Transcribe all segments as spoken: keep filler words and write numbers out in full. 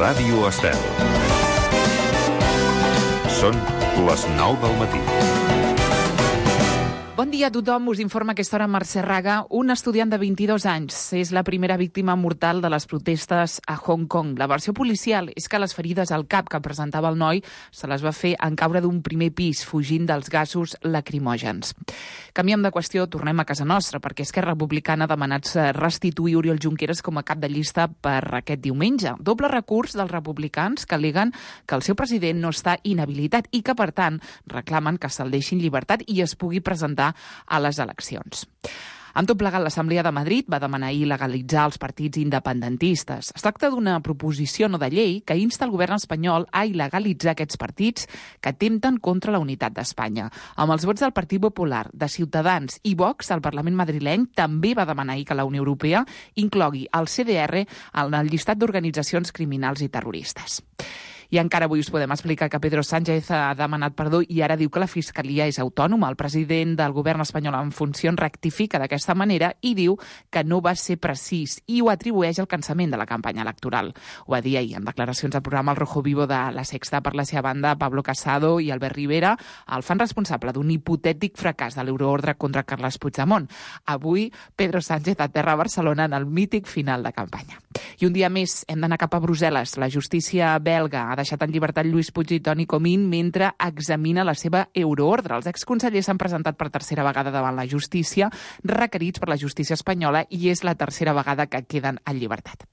Ràdio Estel. Són les nou del matí. Bon dia a tothom, us informa a aquesta hora Mercè Raga. Un estudiant de vint-i-dos anys és la primera víctima mortal de les protestes a Hong Kong. La versió policial és que les ferides al cap que presentava el noi se les va fer en caure d'un primer pis, fugint dels gasos lacrimògens. Canviem de qüestió, tornem a casa nostra, perquè Esquerra Republicana ha demanat restituir Oriol Junqueras com a cap de llista per aquest diumenge. Doble recurs dels republicans que al·leguen que el seu president no està inhabilitat i que, per tant, reclamen que se'l deixi en llibertat i es pugui presentar a les eleccions. Amb tot plegat, l'Assemblea de Madrid va demanar il·legalitzar els partits independentistes. Es tracta d'una proposició no de llei que insta el govern espanyol a il·legalitzar aquests partits que atempten contra la unitat d'Espanya. Amb els vots del Partit Popular, de Ciutadans i Vox, el Parlament madrileny també va demanar ahir que la Unió Europea inclogui el C D R en el llistat d'organitzacions criminals i terroristes. I encara avui us podem explicar que Pedro Sánchez ha demanat perdó i ara diu que la Fiscalia és autònoma. El president del govern espanyol en funcions rectifica d'aquesta manera i diu que no va ser precís i ho atribueix al cansament de la campanya electoral. Ho va dir ahir en declaracions al programa El Rojo Vivo de La Sexta. Per la seva banda, Pablo Casado i Albert Rivera el fan responsable d'un hipotètic fracàs de l'euroordre contra Carles Puigdemont. Avui, Pedro Sánchez aterra a Barcelona en el mític final de campanya. I un dia més hem d'anar cap a Brussel·les. La justícia belga ha deixat en llibertat Lluís Puig i Toni Comín mentre examina la seva euroordre. Els exconsellers s'han presentat per tercera vegada davant la justícia, requerits per la justícia espanyola, i és la tercera vegada que queden en llibertat.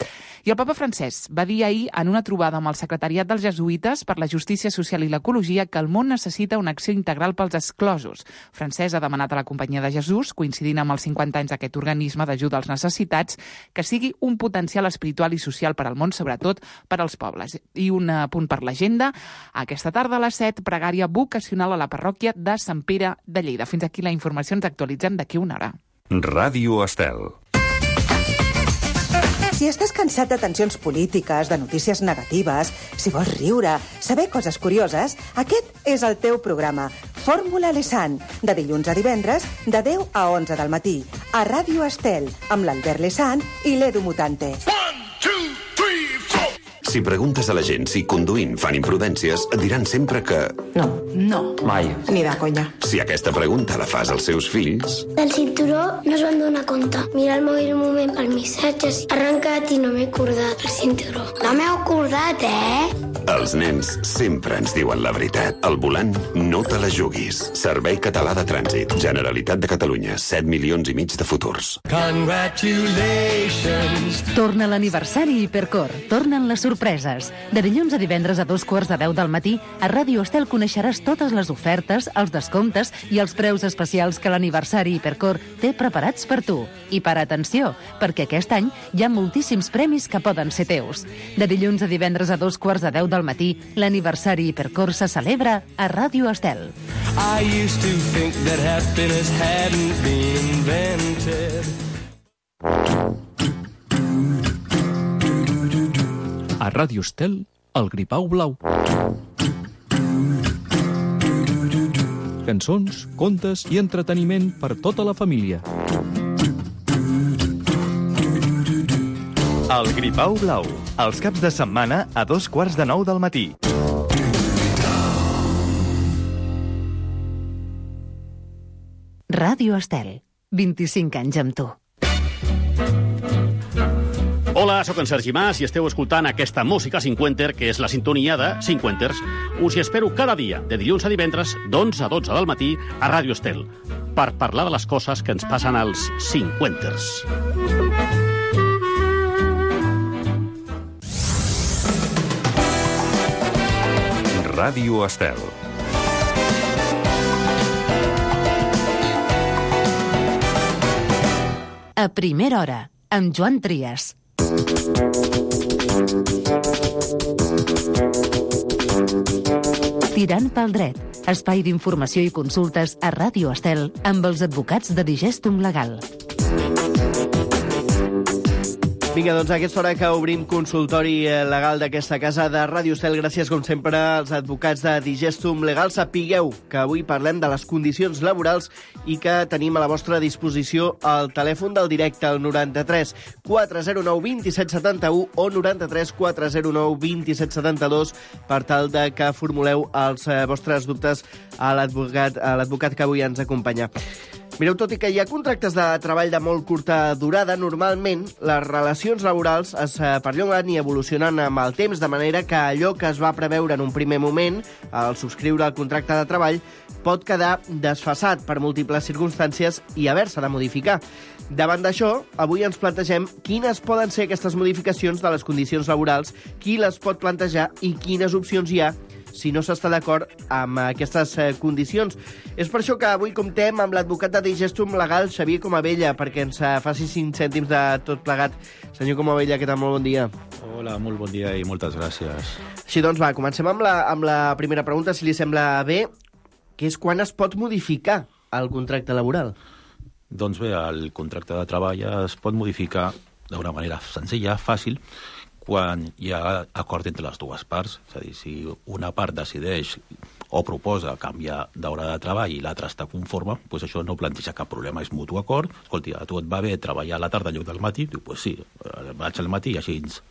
I el papa Francesc va dir ahir en una trobada amb el secretariat dels jesuïtes per la justícia social i l'ecologia que el món necessita una acció integral pels exclosos. Francesc ha demanat a la Companyia de Jesús, coincidint amb els cinquanta anys d'aquest organisme d'ajuda als necessitats, que sigui un potencial espiritual i social per al món, sobretot per als pobles. I un punt per l'agenda, aquesta tarda a les set, pregària vocacional a la parròquia de Sant Pere de Lleida. Fins aquí la informació, ens actualitzem d'aquí una hora. Ràdio Estel. Si estàs cansat de tensions polítiques, de notícies negatives, si vols riure, saber coses curioses, aquest és el teu programa. Fórmula Lesan, de dilluns a divendres, de deu a onze del matí, a Ràdio Estel, amb l'Albert Lesan i l'Edu Mutante. Si preguntes a la gent si conduint fan imprudències, et diran sempre que... No. No. Mai. Ni de conya. Si aquesta pregunta la fas als seus fills... Del cinturó no es van donar compte. Mira el mòbil un moment per missatges. Arrencat i no m'he acordat el cinturó. No m'he acordat, eh? Els nens sempre ens diuen la veritat. Al volant, no te la juguis. Servei Català de Trànsit. Generalitat de Catalunya. set milions i mig de futurs. Congratulations. Torna l'aniversari Hipercor. Tornen les sorpreses. De dilluns a divendres a dos quarts de deu del matí, a Ràdio Estel coneixeràs totes les ofertes, els descomptes i els preus especials que l'aniversari Hipercor té preparats per tu. I per atenció, perquè aquest any hi ha moltíssims premis que poden ser teus. De dilluns a divendres a dos quarts de deu del matí, l'aniversari Hipercor se celebra a Ràdio Estel. I used to think that happiness hadn't been invented. A Ràdio Estel, el Gripau Blau. Cançons, contes i entreteniment per tota la família. El Gripau Blau, els caps de setmana a dos quarts de nou del matí. Ràdio Estel, vint-i-cinc anys amb tu. Hola, sóc en Sergi Mas i esteu escoltant aquesta música cinquenter, que és la sintonia de Cinquenters. Us hi espero cada dia, de dilluns a divendres, d'onze a dotze del matí, a Ràdio Estel, per parlar de les coses que ens passen als cinquenters. Ràdio Estel. A primera hora, amb Joan Trias. Tirant pel dret, espai d'informació i consultes a Ràdio Estel amb els advocats de Digestum Legal. Vinga, doncs a aquesta hora que obrim consultori legal d'aquesta casa de Ràdio Estel, gràcies com sempre als advocats de Digestum Legal. Sapigueu que avui parlem de les condicions laborals i que tenim a la vostra disposició el telèfon del directe, el noranta-tres quatre zero nou dos set set u o noranta-tres quatre zero nou dos set set dos per tal de que formuleu els vostres dubtes a l'advocat a l'advocat que avui ens acompanya. Mireu, tot i que hi ha contractes de treball de molt curta durada, normalment les relacions laborals es perllonguen i evolucionen amb el temps, de manera que allò que es va preveure en un primer moment, al subscriure el contracte de treball, pot quedar desfasat per múltiples circumstàncies i haver-se de modificar. Davant d'això, avui ens plantegem quines poden ser aquestes modificacions de les condicions laborals, qui les pot plantejar i quines opcions hi ha si no s'està d'acord amb aquestes eh, condicions. És per això que avui comptem amb l'advocat de Digestum Legal, Xavier Comabella, perquè ens eh, faci cinc cèntims de tot plegat. Senyor Comabella, què tal? Molt bon dia. Hola, molt bon dia i moltes gràcies. Així doncs, va, comencem amb la, amb la primera pregunta, si li sembla bé, que és quan es pot modificar el contracte laboral? Doncs bé, el contracte de treball es pot modificar d'una manera senzilla, fàcil, quan hi ha acord entre les dues parts. És a dir, si una part decideix o proposa canviar d'hora de treball i l'altra està conforme, doncs això no planteja cap problema, és mutu acord. Escolti, a tu et va bé treballar a la tarda en lloc del matí? Diu, doncs sí, vaig al matí i així doncs,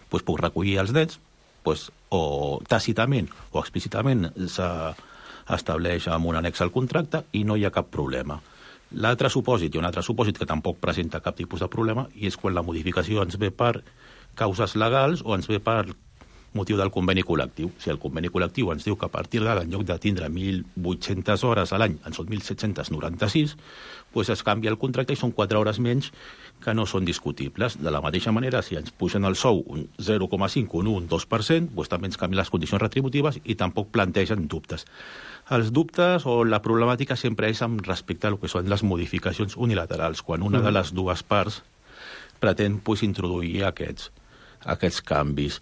puc recollir els nens, doncs, o tàcitament o explícitament s'estableix amb un annex al contracte i no hi ha cap problema. L'altre supòsit, i un altre supòsit que tampoc presenta cap tipus de problema, i és quan la modificació ens ve per causes legals o ens ve per motiu del conveni col·lectiu. Si el conveni col·lectiu ens diu que a partir d'ara, en lloc de tindre mil vuit-centes hores a l'any, en són mil set-cents noranta-sis, doncs es canvia el contracte i són quatre hores menys que no són discutibles. De la mateixa manera, si ens pugen el sou un zero coma cinc, un un, un dos per cent, doncs també ens canvien les condicions retributives i tampoc plantegen dubtes. Els dubtes o la problemàtica sempre és amb respecte a lo que són les modificacions unilaterals, quan una de les dues parts pretén pues, introduir aquests, aquests canvis.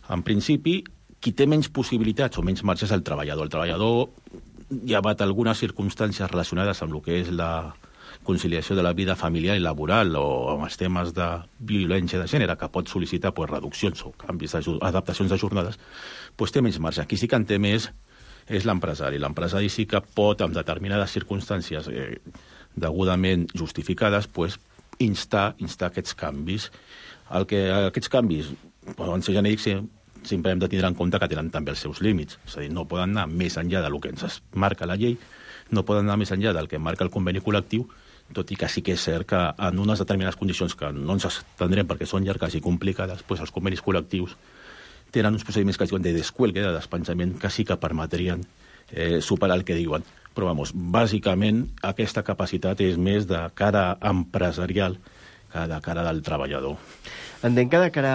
En principi, qui té menys possibilitats o menys marge és el treballador. El treballador, llevat algunes circumstàncies relacionades amb el que és la conciliació de la vida familiar i laboral o amb els temes de violència de gènere, que pot sol·licitar pues, reduccions o canvis, adaptacions de jornades, pues, té menys marge. Qui sí que en té més és l'empresari. L'empresari sí que pot, amb determinades circumstàncies eh, degudament justificades, pues, instar, instar aquests canvis. El que, aquests canvis poden ser genèrics, sempre hem de tindre en compte que tenen també els seus límits. És a dir, no poden anar més enllà del que ens marca la llei, no poden anar més enllà del que marca el conveni col·lectiu, tot i que sí que és cert que en unes determinades condicions que no ens estendrem perquè són llargues i complicades, doncs els convenis col·lectius tenen uns procediments que es diuen de descuelgue, de despenjament, que sí que permetrien eh, superar el que diuen. Però, vamos, bàsicament, aquesta capacitat és més de cara empresarial que de cara del treballador. Entenc que de cara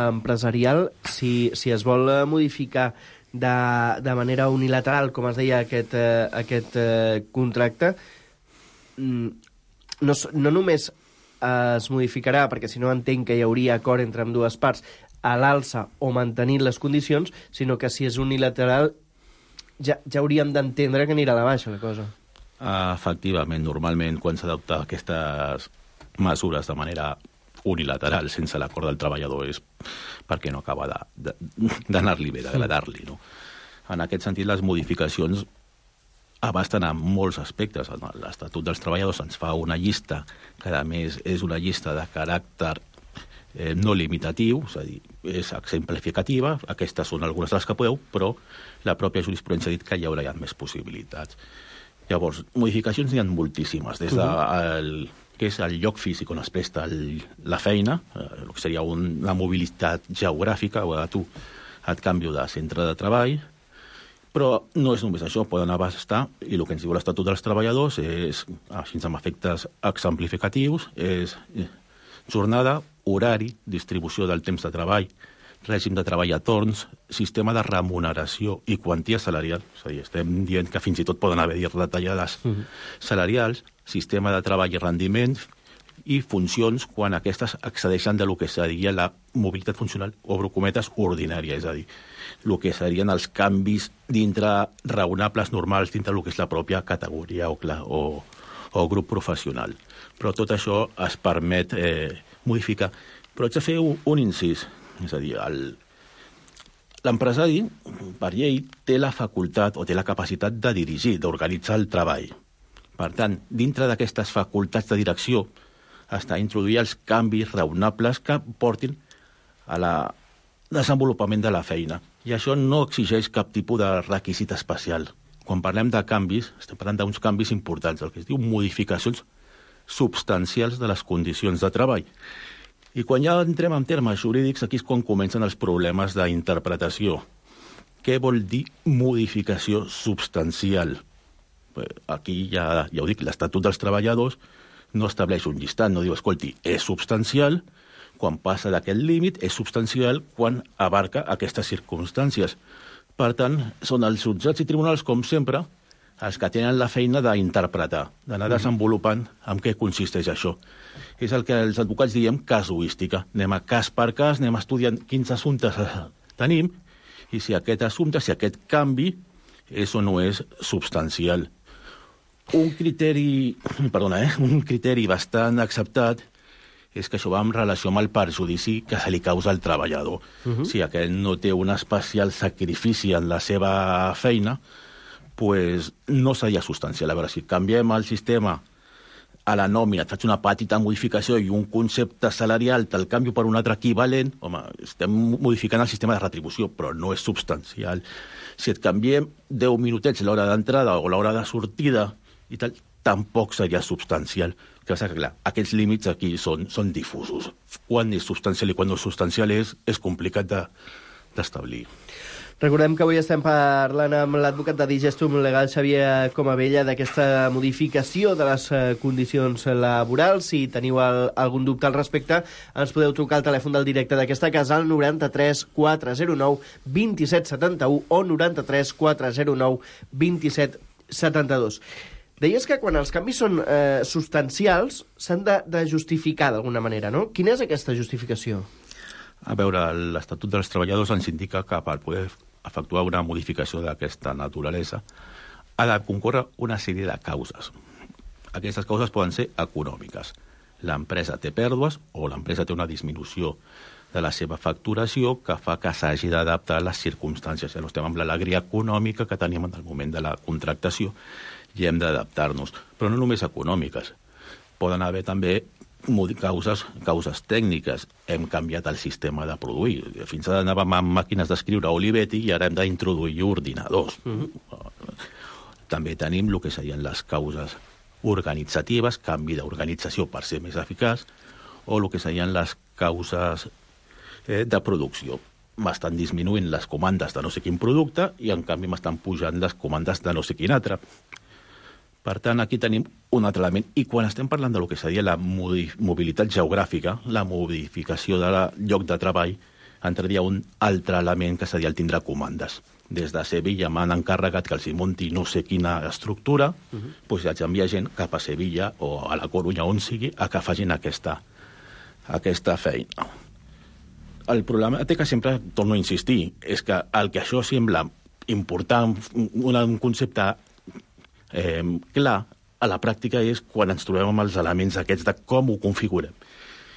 empresarial, si, si es vol modificar de, de manera unilateral, com es deia, aquest, eh, aquest eh, contracte, no, no només es modificarà, perquè si no entenc que hi hauria acord entre ambdues parts, a l'alça o mantenint les condicions, sinó que si és unilateral ja, ja hauríem d'entendre que anirà a la baixa la cosa. Efectivament, normalment quan s'adopta aquestes mesures de manera unilateral, sense l'acord del treballador, és perquè no acaba d'anar-li bé, d'agradar-li. No? En aquest sentit, les modificacions abasten a molts aspectes. L'Estatut dels Treballadors ens fa una llista que, a més, és una llista de caràcter eh, no limitatiu, és a dir, és exemplificativa, aquestes són algunes de les que podeu, però la pròpia jurisprudència ha dit que hi haurà més possibilitats. Llavors, modificacions n'hi ha moltíssimes, des de el, que és el lloc físic on es presta el, la feina, eh, el que seria un, la mobilitat geogràfica, o tu et canvio de centre de treball, però no és només això, poden abastar, i el que ens diu l'Estatut dels Treballadors és, així amb efectes exemplificatius, és jornada, horari, distribució del temps de treball, règim de treball a torns, sistema de remuneració i quantia salarial. És a dir, estem dient que fins i tot poden haver-hi retallades uh-huh. salarials, sistema de treball i rendiment i funcions quan aquestes excedeixen de lo que seria la mobilitat funcional, obro cometes, ordinària, és a dir, el que serien els canvis dintre raonables normals dintre el que és la pròpia categoria o, o, o grup professional. Però tot això es permet eh, modificar Però haig de fer un, un incís. És a dir, el, l'empresari, per llei, té la facultat o té la capacitat de dirigir, d'organitzar el treball. Per tant, dintre d'aquestes facultats de direcció està introduir els canvis raonables que portin a la desenvolupament de la feina. I això no exigeix cap tipus de requisit especial. Quan parlem de canvis, estem parlant d'uns canvis importants, el que es diu modificacions substancials de les condicions de treball. I quan ja entrem en termes jurídics, aquí és quan comencen els problemes d'interpretació. Què vol dir modificació substancial? Aquí ja, ja ho dic, l'Estatut dels Treballadors no estableix un llistat, no diu, escolti, és substancial, quan passa d'aquest límit, és substancial quan abarca aquestes circumstàncies. Per tant, són els jutjats i tribunals, com sempre, els que tenen la feina d'interpretar, d'anar desenvolupant en què consisteix això. És el que els advocats diem casuística. Anem a cas per cas, anem estudiant quins assumptes tenim, i si aquest assumpte, si aquest canvi, és o no és substancial. Un criteri, perdona, eh? un criteri bastant acceptat és que això va en relació amb el perjudici que se li causa al treballador. Uh-huh. Si aquell no té un especial sacrifici en la seva feina, pues no seria substancial. A veure, si canviem el sistema a la nòmina, et faig una petita modificació i un concepte salarial te'l canvio per un altre equivalent, home, estem modificant el sistema de retribució, però no és substancial. Si et canviem deu minutets l'hora d'entrada o l'hora de sortida i tal, tampoc seria substancial. Que passa que, clar, aquests límits aquí són, són difusos. Quan és substancial i quan no és substancial és, és complicat de, d'establir. Recordem que avui estem parlant amb l'advocat de Digestum Legal, Xavier Comabella, d'aquesta modificació de les condicions laborals. Si teniu el, algun dubte al respecte, ens podeu trucar al telèfon del directe d'aquesta casa al noranta-tres quatre zero nou vint set setanta-u o noranta-tres quatre zero nou vint set setanta-dos. Deies que quan els canvis són eh, substancials s'han de, de justificar d'alguna manera, no? Quina és aquesta justificació? A veure, l'Estatut dels Treballadors ens indica que per poder efectuar una modificació d'aquesta naturalesa ha de concórrer una sèrie de causes. Aquestes causes poden ser econòmiques. L'empresa té pèrdues o l'empresa té una disminució de la seva facturació que fa que s'hagi d'adaptar a les circumstàncies. Ja no estem amb l'alegria econòmica que teníem en el moment de la contractació i hem d'adaptar-nos. Però no només econòmiques. Poden haver també causes, causes tècniques. Hem canviat el sistema de produir. Fins ara anàvem amb màquines d'escriure Olivetti i ara hem d'introduir ordinadors. Mm-hmm. També tenim el que serien les causes organitzatives, canvi d'organització per ser més eficaç, o el que serien les causes eh, de producció. M'estan disminuint les comandes de no sé quin producte i, en canvi, m'estan pujant les comandes de no sé quin altre. Per tant, aquí tenim un altre element. I quan estem parlant de lo que seria la mobilitat geogràfica, la modificació del lloc de treball, entraria un altre element que seria el tindre comandes. Des de Sevilla m'han encarregat que els hi munti no sé quina estructura, uh-huh. doncs haig d'enviar gent cap a Sevilla o a la Corunya, on sigui, a que facin aquesta, aquesta feina. El problema té que sempre, torno a insistir, és que el que això sembla important, un, un concepte Eh, clar, a la pràctica és quan ens trobem amb els elements aquests de com ho configurem.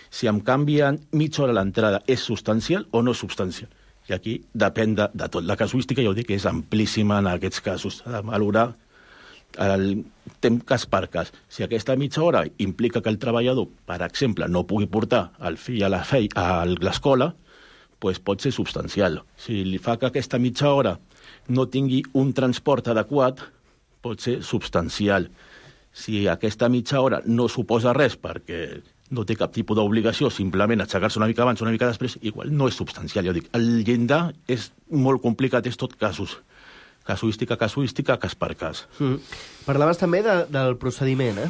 Si em canvien mitja hora a l'entrada, és substancial o no substancial? I aquí depèn de, de tot. La casuística, ja ho dic, és amplíssima en aquests casos. S'ha de valorar el temps cas per cas. Si aquesta mitja hora implica que el treballador, per exemple, no pugui portar el fill a la fei, a l'escola, doncs pot ser substancial. Si li fa que aquesta mitja hora no tingui un transport adequat, pot ser substancial. Si aquesta mitja hora no suposa res perquè no té cap tipus d'obligació, simplement aixecar-se una mica abans, una mica després, igual no és substancial. Ja ho dic, el llindar és molt complicat, és tot casos. Casuística, casuística, cas per cas. Mm. Parlaves també de, del procediment, eh?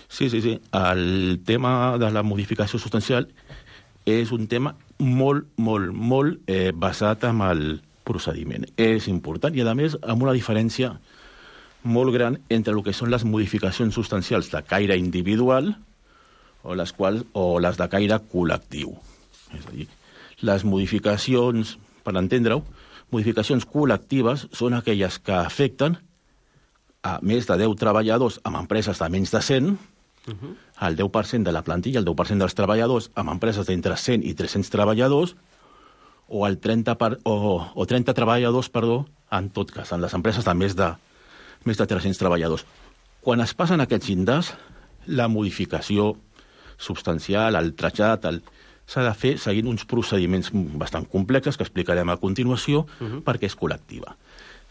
Sí, sí, sí. El tema de la modificació substancial és un tema molt, molt, molt eh, basat en el procediment. És important i, a més, amb una diferència molt gran entre el que són les modificacions substancials de caire individual o les, quals, o les de caire col·lectiu. És a dir, les modificacions, per entendre-ho, modificacions col·lectives són aquelles que afecten a més de deu treballadors amb empreses de menys de cent Uh-huh. El deu per cent de la plantilla, el deu per cent dels treballadors, amb empreses d'entre cent i tres-cents treballadors, o el trenta, per, o, o trenta treballadors, perdó, en tot cas, en les empreses de més de, més de tres-cents treballadors. Quan es passen aquests llindars, la modificació substancial, el trasllat, el... s'ha de fer seguint uns procediments bastant complexes que explicarem a continuació uh-huh. perquè és col·lectiva.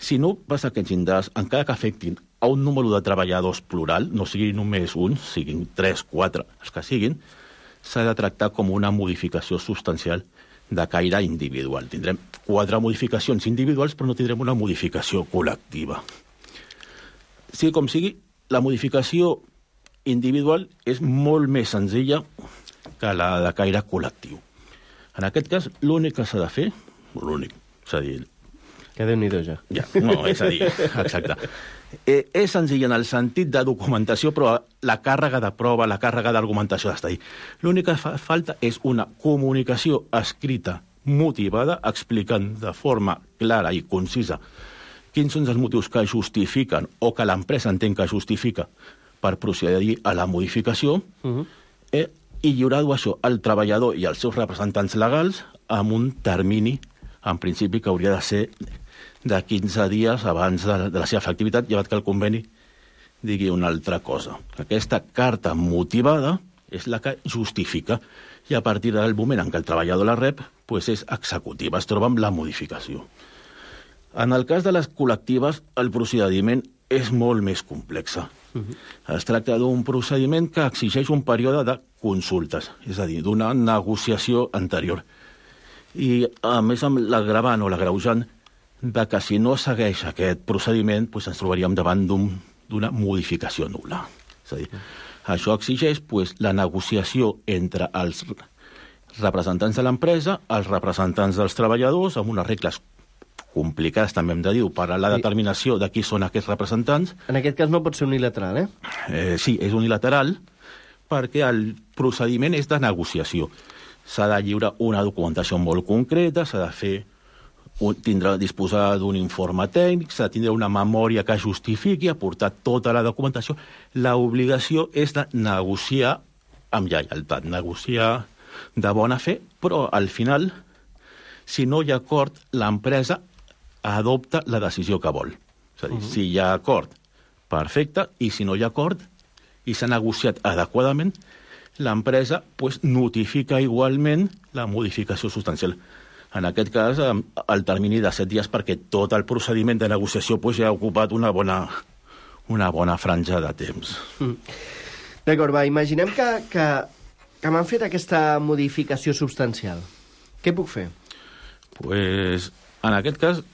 Si no passa aquests llindars, encara que afectin a un número de treballadors plural, no sigui només un, siguin tres, quatre, els que siguin, s'ha de tractar com una modificació substancial de caire individual. Tindrem quatre modificacions individuals, però no tindrem una modificació col·lectiva. Sigui com sigui, la modificació individual és molt més senzilla que la de caire col·lectiu. En aquest cas, l'únic que s'ha de fer, l'únic, és a dir... Que Déu-n'hi-do ja. Ja, no, és a dir, exacte. Eh, és senzill en el sentit de documentació, però la càrrega de prova, la càrrega d'argumentació d'estar ahí. L'únic que fa falta és una comunicació escrita, motivada, explicant de forma clara i concisa quins són els motius que justifiquen o que l'empresa entén que justifica per procedir a la modificació, uh-huh. eh, i lliurar-ho això al treballador i als seus representants legals amb un termini, en principi, que hauria de ser de quinze dies abans de, de la seva efectivitat, llevat que el conveni digui una altra cosa. Aquesta carta motivada és la que justifica, i a partir del moment en què el treballador la rep, pues és executiva, es troba amb la modificació. En el cas de les col·lectives, el procediment és molt més complex. Uh-huh. Es tracta d'un procediment que exigeix un període de consultes, és a dir, d'una negociació anterior. I, a més, amb l'agravant o l'agreujant de que si no segueix aquest procediment, doncs ens trobaríem davant d'una un, modificació nul·la. És a dir, uh-huh. això exigeix doncs, la negociació entre els representants de l'empresa, els representants dels treballadors, amb unes regles complicades, també hem de dir, per a la determinació de qui són aquests representants. En aquest cas no pot ser unilateral, eh? eh sí, és unilateral, perquè el procediment és de negociació. S'ha de lliurar una documentació molt concreta, s'ha de fer, tindrà disposar d'un informe tècnic, s'ha de tindre una memòria que justifiqui, aportar tota la documentació. L'obligació és de negociar amb lleialtat, negociar de bona fe, però al final, si no hi ha acord, l'empresa adopta la decisió que vol. És a dir, uh-huh. si hi ha acord, perfecte, i si no hi ha acord, i s'ha negociat adequadament, l'empresa pues, notifica igualment la modificació substancial. En aquest cas, el termini de set dies, perquè tot el procediment de negociació pues, ja ha ocupat una bona, una bona franja de temps. Mm. D'acord, va, imaginem que, que, que m'han fet aquesta modificació substancial. Què puc fer? Pues, en aquest cas,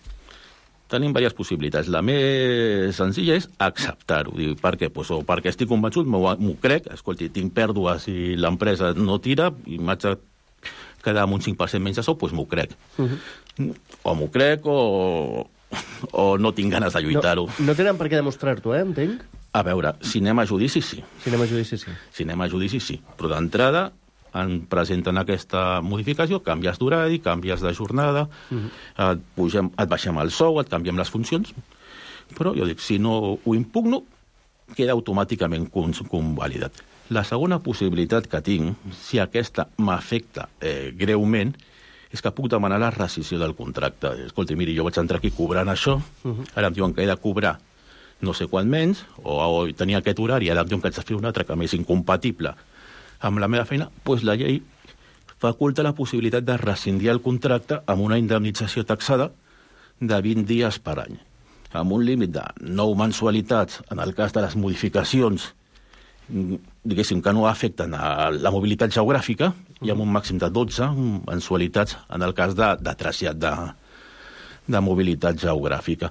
tenim diverses possibilitats. La més senzilla és acceptar-ho. Per què? Pues, o perquè estic convençut, m'ho crec, escolti, tinc pèrdues i l'empresa no tira, i m'haig de quedar amb un cinc per cent menys de sou, doncs m'ho crec. Uh-huh. O m'ho crec o, o no tinc ganes de lluitar-ho. No, no tenen per què demostrar-t'ho, eh, entenc? A veure, si anem a judici, sí. Si anem a judici, sí. Si anem a judici, sí. Però d'entrada en presenten aquesta modificació, canvies d'horari, canvies de jornada, uh-huh. et, pugem, et baixem el sou, et canviem les funcions, però jo dic, si no ho impugno, queda automàticament convalidat. La segona possibilitat que tinc, si aquesta m'afecta eh, greument, és que puc demanar la rescissió del contracte. Escolta, miri, jo vaig entrar aquí cobrant això, uh-huh. ara em diuen que he de cobrar no sé quant menys, o, o tenia aquest horari, ara em diuen que haig de fer un altre que m'és incompatible amb la meva feina, doncs la llei faculta la possibilitat de rescindir el contracte amb una indemnització taxada de vint dies per any, amb un límit de nou mensualitats en el cas de les modificacions diguéssim que no afecten a la mobilitat geogràfica, i amb un màxim de dotze mensualitats en el cas de, de trasllat de, de mobilitat geogràfica.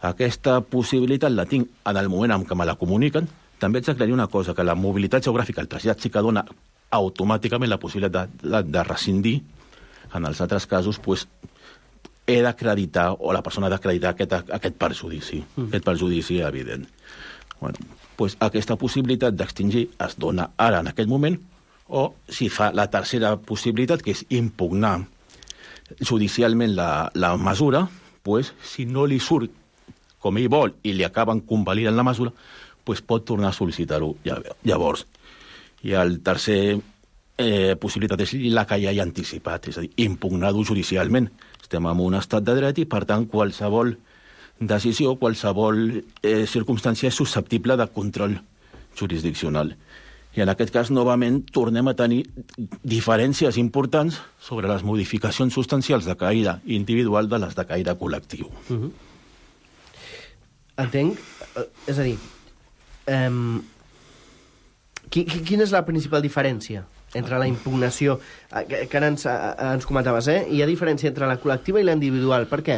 Aquesta possibilitat la tinc en el moment en què me la comuniquen. També haig d'aclarir una cosa, que la mobilitat geogràfica, el trasllat sí que dona automàticament la possibilitat de, de, de rescindir. En els altres casos, pues, he d'acreditar, o la persona ha d'acreditar aquest, aquest perjudici, mm. aquest perjudici evident. Bueno, pues aquesta possibilitat d'extingir es dona ara, en aquest moment, o si fa la tercera possibilitat, que és impugnar judicialment la, la mesura, pues, si no li surt com ell vol i li acaben convalidant la mesura, pues pot tornar a sol·licitar-ho llavors. I el tercer eh, possibilitat és la que ja hi ha anticipat, és a dir, impugnar-ho judicialment. Estem en un estat de dret i, per tant, qualsevol decisió, qualsevol eh, circumstància és susceptible de control jurisdiccional. I en aquest cas, novament, tornem a tenir diferències importants sobre les modificacions substancials de caire individual de les de caire col·lectiu. Uh-huh. Entenc. És a dir, um, quina és la principal diferència entre la impugnació, que, que ara ens, ens comentaves, eh? Hi ha diferència entre la col·lectiva i la individual. Per què?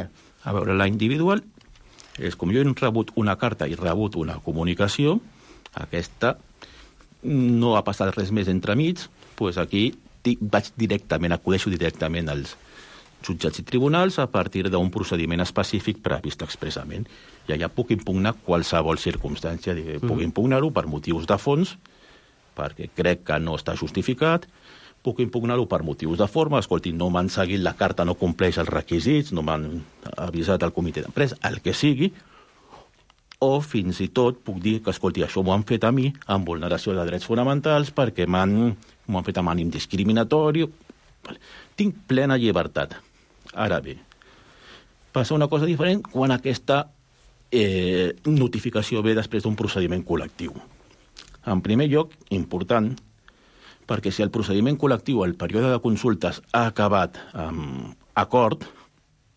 A veure, la individual és com jo he rebut una carta i rebut una comunicació, aquesta no ha passat res més entremig, doncs aquí vaig directament, acudeixo directament als jutjats i tribunals a partir d'un procediment específic previst expressament. I allà puc impugnar qualsevol circumstància. Puc mm. impugnar-ho per motius de fons, perquè crec que no està justificat, puc impugnar-ho per motius de forma, escolti, no m'han seguit la carta, no compleix els requisits, no m'han avisat al comitè d'empresa, el que sigui, o fins i tot puc dir que, escolti, això m'ho han fet a mi amb vulneració de drets fonamentals perquè m'han, m'ho han fet amb ànim discriminatori. Tinc plena llibertat. Ara bé, passa una cosa diferent quan aquesta eh, notificació ve després d'un procediment col·lectiu. En primer lloc, important, perquè si el procediment col·lectiu, el període de consultes, ha acabat amb acord,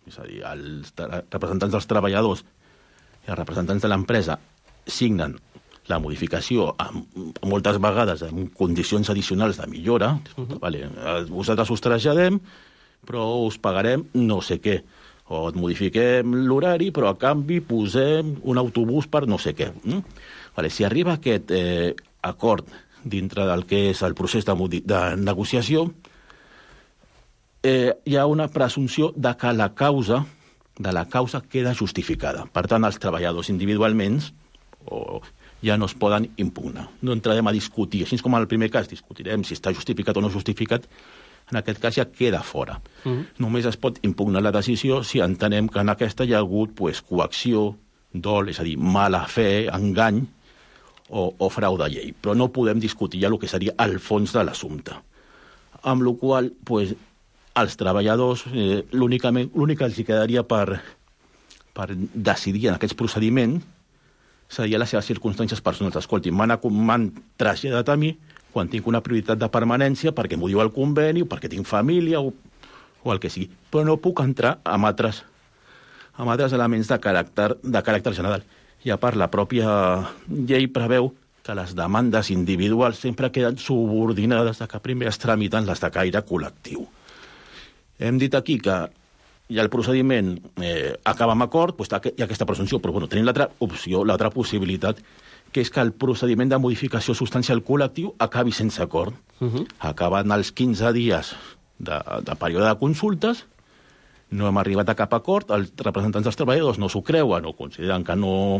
és a dir, els representants dels treballadors i els representants de l'empresa signen la modificació amb, moltes vegades en condicions addicionals de millora, uh-huh. vale, vosaltres us traslladem, però us pagarem no sé què, o et modifiquem l'horari, però a canvi posem un autobús per no sé què. Mm? Vale, si arriba aquest eh, acord dintre del que és el procés de, de negociació, eh, hi ha una presumpció de que la causa de la causa queda justificada. Per tant, els treballadors individualment o ja no es poden impugnar. No entrarem a discutir, així com en el primer cas discutirem si està justificat o no justificat, en aquest cas ja queda fora. Uh-huh. Només es pot impugnar la decisió si entenem que en aquesta hi ha hagut pues, coacció, dol, és a dir, mala fe, engany o, o frau de llei. Però no podem discutir ja el que seria el fons de l'assumpte. Amb la qual cosa, pues, als treballadors, eh, l'únic que els quedaria per, per decidir en aquests procediments seria les seves circumstàncies personals. Escolti, m'han traslladat a mi quan tinc una prioritat de permanència perquè m'ho diu el conveni o perquè tinc família o, o el que sigui. Però no puc entrar amb altres, amb altres elements de caràcter, de caràcter general. I a part, la pròpia llei preveu que les demandes individuals sempre queden subordinades a que primer es tramiten les de caire col·lectiu. Hem dit aquí que ja el procediment eh, acaba amb acord, doncs hi ha aquesta presumpció, però bueno, tenim l'altra opció, l'altra possibilitat, que és que el procediment de modificació substancial col·lectiu acabi sense acord. Uh-huh. Acaben els quinze dies de, de període de consultes, no hem arribat a cap acord, els representants dels treballadors no s'ho creuen o consideren que no,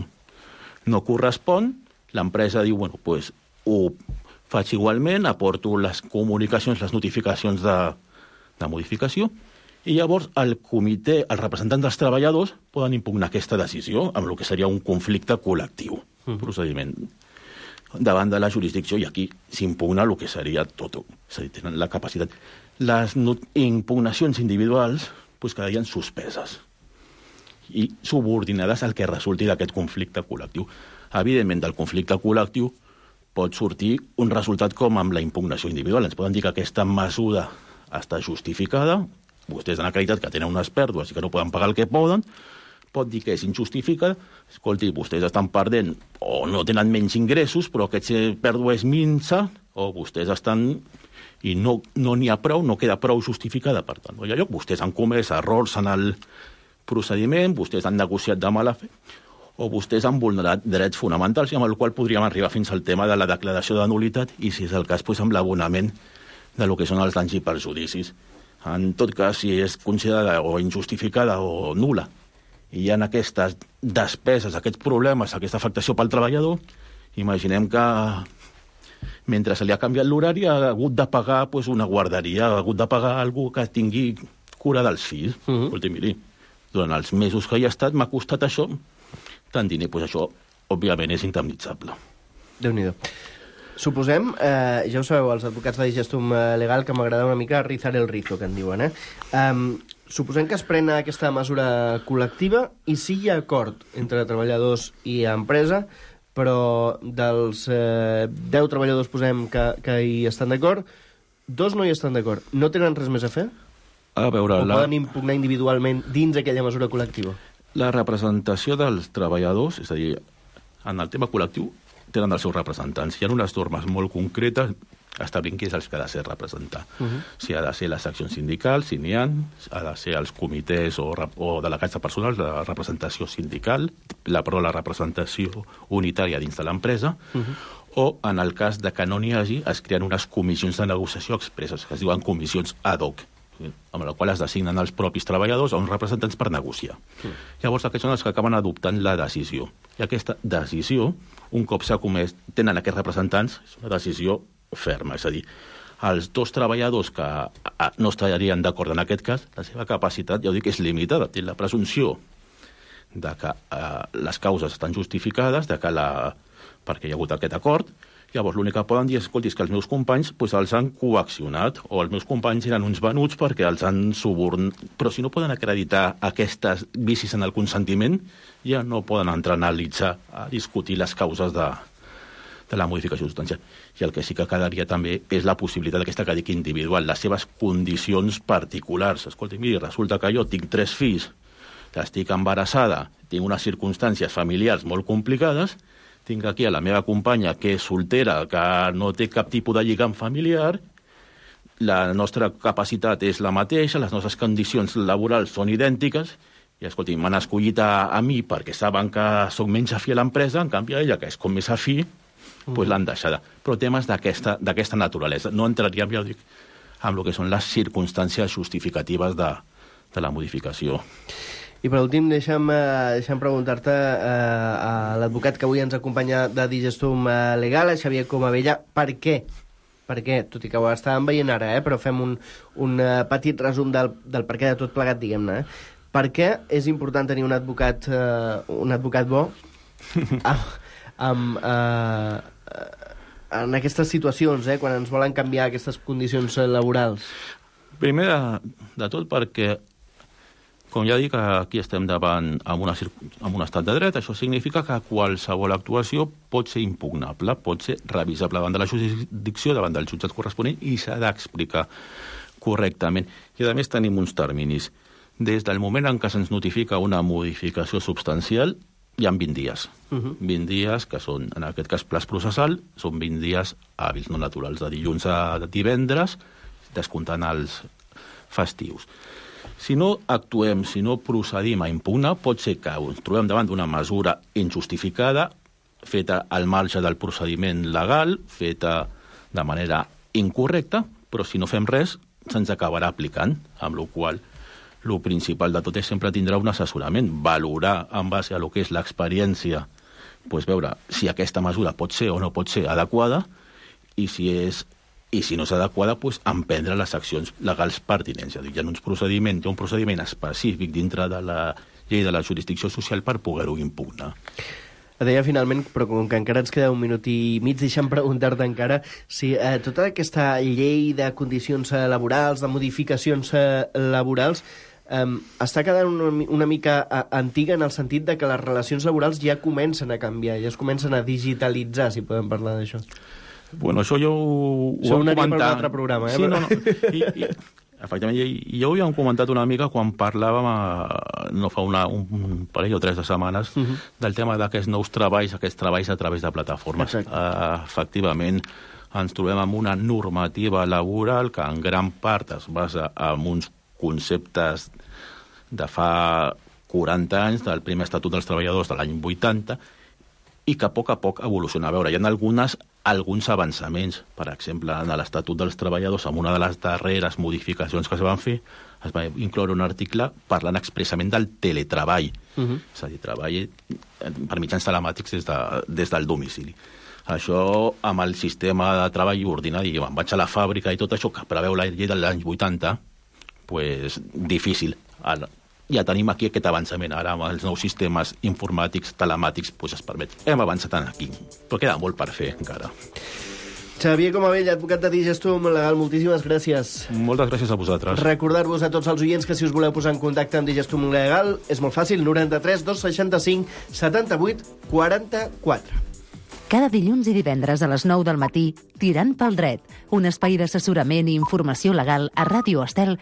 no correspon, l'empresa diu, bueno, doncs ho faig igualment, aporto les comunicacions, les notificacions de de modificació, i llavors el comitè, els representants dels treballadors poden impugnar aquesta decisió amb el que seria un conflicte col·lectiu, uh-huh. procediment davant de la jurisdicció, i aquí s'impugna el que seria tot, és a dir, tenen la capacitat. Les no- impugnacions individuals pues, quedarien suspeses i subordinades al que resulti d'aquest conflicte col·lectiu. Evidentment, del conflicte col·lectiu pot sortir un resultat com amb la impugnació individual. Ens poden dir que aquesta mesura està justificada, vostès han acreditat que tenen unes pèrdues i que no poden pagar el que poden, pot dir que és injustificada, escolti, vostès estan perdent o no tenen menys ingressos, però aquesta pèrdua és minsa, o vostès estan i no no n'hi ha prou, no queda prou justificada, per tant, no hi ha lloc, vostès han comès errors en el procediment, vostès han negociat de mala fe, o vostès han vulnerat drets fonamentals, i amb el qual podríem arribar fins al tema de la declaració de nul·litat, i si és el cas, doncs, amb l'abonament de lo que són els danys i perjudicis. En tot cas, si és considerada o injustificada o nul·la, i hi ha aquestes despeses, aquests problemes, aquesta afectació pel treballador, imaginem que mentre se li ha canviat l'horari ha hagut de pagar pues, una guarderia, ha hagut de pagar algú que tingui cura dels fills. Uh-huh. Escolti, miri, durant els mesos que hi ha estat m'ha costat això, tant diner, pues això, òbviament, és indemnitzable. Déu-n'hi-do. Suposem, eh, ja ho sabeu, els advocats de Digestum Legal, que m'agrada una mica rizar el rizo, que en diuen, eh? Um, suposem que es pren aquesta mesura col·lectiva i si hi ha acord entre treballadors i empresa, però dels eh, deu treballadors, posem, que, que hi estan d'acord, dos no hi estan d'acord. No tenen res més a fer? A veure, o la... poden impugnar individualment dins aquella mesura col·lectiva? La representació dels treballadors, és a dir, en el tema col·lectiu, tenen els seus representants. Hi ha unes normes molt concretes establint qui és els que ha de ser representar. Uh -huh. Si ha de ser les seccions sindicals, si n'hi ha, ha de ser els comitès o, o delegats de personal de representació sindical, la, però la representació unitària dins de l'empresa, uh -huh. o, en el cas de que no n'hi hagi, es creen unes comissions de negociació expresses, que es diuen comissions ad hoc, amb la qual es designen els propis treballadors a uns representants per negociar. Mm. Llavors, aquests són els que acaben adoptant la decisió. I aquesta decisió, un cop s'ha comès, tenen aquests representants, és una decisió ferma, és a dir, els dos treballadors que no estarien d'acord en aquest cas, la seva capacitat, ja ho dic, és limitada. Té la presumpció de que eh, les causes estan justificades, de que la... perquè hi ha hagut aquest acord. Llavors, l'únic que poden dir és, escolti, és que els meus companys pues, els han coaccionat, o els meus companys eren uns venuts perquè els han subornat. Però si no poden acreditar aquestes vicis en el consentiment, ja no poden entrar a analitzar, a discutir les causes de, de la modificació substancial. I el que sí que quedaria també és la possibilitat d'aquesta que dic individual, les seves condicions particulars. Escolti, miri, resulta que jo tinc tres fills, estic embarassada, tinc unes circumstàncies familiars molt complicades, tinc aquí a la meva companya que és soltera, que no té cap tipus de lligam familiar, la nostra capacitat és la mateixa, les nostres condicions laborals són idèntiques, i escolti, m'han escollit a, a mi perquè saben que soc menys afí a l'empresa, en canvi a ella, que és com més afí, mm. pues l'han deixada. Però temes d'aquesta naturalesa. No entraríem, ja ho dic, amb el que són les circumstàncies justificatives de, de la modificació. I per últim, deixa'm, deixa'm preguntar-te eh, a l'advocat que avui ens acompanya de Digestum Legal, a Xavier Comabella, per què? Per què? Tot i que ho estàvem veient ara, eh? Però fem un, un petit resum del, del per què de tot plegat, diguem-ne. Eh? Per què és important tenir un advocat, eh, un advocat bo amb, amb, eh, en aquestes situacions, eh? Quan ens volen canviar aquestes condicions laborals? Primer de, de tot perquè, com ja dic, aquí estem davant amb, una, amb un estat de dret. Això significa que qualsevol actuació pot ser impugnable, pot ser revisable davant de la jurisdicció, davant del jutjat corresponent, i s'ha d'explicar correctament. I, a més, tenim uns terminis. Des del moment en què se'ns notifica una modificació substancial, hi ha vint dies. Uh -huh. vint dies, que són, en aquest cas, plaç processal, són vint dies hàbils, no naturals, de dilluns a divendres, descomptant els festius. Si no actuem, si no procedim a impugnar, pot ser que ens trobem davant d'una mesura injustificada, feta al marge del procediment legal, feta de manera incorrecta, però si no fem res, se'ns acabarà aplicant, amb la qual cosa el principal de tot és sempre tindrà un assessorament, valorar en base a lo que és l'experiència, pues veure si aquesta mesura pot ser o no pot ser adequada, i si és i si no és adequada, pues, emprendre les accions legals pertinents. Hi ha uns procediments, hi ha un procediment específic dintre de la llei de la jurisdicció social per poder-ho impugnar. Et deia finalment, però com que encara ens queda un minut i mig, deixa'm preguntar-te encara si eh, tota aquesta llei de condicions eh, laborals, de modificacions eh, laborals, eh, està quedant una, una mica eh, antiga en el sentit de que les relacions laborals ja comencen a canviar, ja es comencen a digitalitzar, si podem parlar d'això. Bueno, això jo ho, ho vam comentar... per un altre programa, eh? Sí, no, no. I, i, efectivament, i, jo ho havíem comentat una mica quan parlàvem, a, no fa una, un parell o tres de setmanes, uh -huh. del tema d'aquests nous treballs, aquests treballs a través de plataformes. Uh, efectivament, ens trobem amb una normativa laboral que en gran part es basa en uns conceptes de fa quaranta anys, del primer Estatut dels Treballadors de l'any vuitanta, i que a poc a poc evoluciona. A veure, hi ha algunes, alguns avançaments. Per exemple, en l'Estatut dels Treballadors, amb una de les darreres modificacions que es van fer, es va incloure un article parlant expressament del teletreball, uh -huh. és a dir, treball per mitjans telemàtics des, de, des del domicili. Això, amb el sistema de treball ordinari, me'n vaig a la fàbrica i tot això, que preveu la llei de l'any vuitanta, pues, difícil. Ara, ja tenim aquí aquest avançament. Ara, amb els nous sistemes informàtics, telemàtics, pues es permet. Hem avançat aquí, però queda molt per fer encara. Xavier Comavell, advocat de Digestum Legal, moltíssimes gràcies. Moltes gràcies a vosaltres. Recordar-vos a tots els oients que si us voleu posar en contacte amb Digestum Legal és molt fàcil, noranta-tres dos seixanta-cinc setanta-vuit quaranta-quatre. Cada dilluns i divendres a les nou del matí, Tirant pel dret, un espai d'assessorament i informació legal a Ràdio Estel